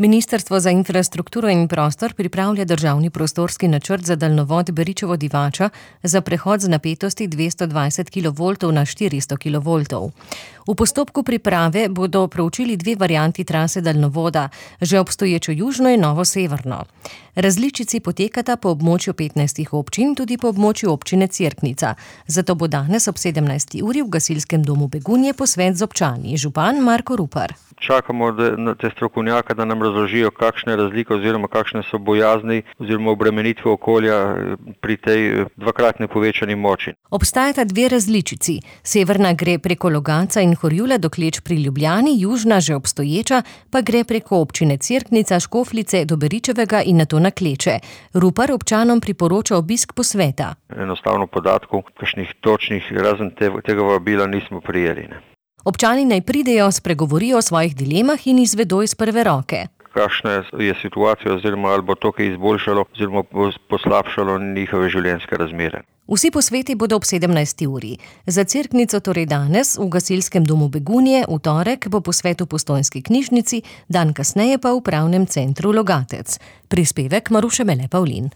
Ministrstvo za infrastrukturo in prostor pripravlja državni prostorski načrt za daljnovod Beričevo-Divača za prehod z napetosti 220 kV na 400 kV. V postopku priprave bodo proučili dve varianti trase daljnovoda, že obstoječo južno in novo severno. Različici potekata po območju 15 občin, tudi po območju občine Cerknica. Zato bo danes ob 17. uri v gasilskem domu Begunje posvet z občani. Župan Marko Rupar. Čakamo na te strokovnjaka, da nam razložijo, kakšne razlike oziroma kakšne so bojazni oziroma obremenitve okolja pri tej dvakratni povečani moči. Obstajata dve različici. Severna gre preko Logatca in Horjula do Kleč pri Ljubljani, južna, že obstoječa, pa gre preko občine Cerknica, Škofljice do Beričevega in nato na Kleče. Rupar občanom priporoča obisk posveta. Enostavno podatkov, kakšnih točnih, razen tega vabila nismo prijeli. Občani naj pridejo, spregovorijo o svojih dilemah in izvedo iz prve roke. Kakšna je situacija oziroma ali bo to kaj izboljšalo oziroma poslabšalo njihove življenjske razmere. Vsi posveti bodo ob 17. uri. Za Cerknico torej danes v gasilskem domu Begunje, v torek bo posvet v Postojnski knjižnici, dan kasneje pa v upravnem centru Logatec. Prispevek Maruše Mele Pavlin.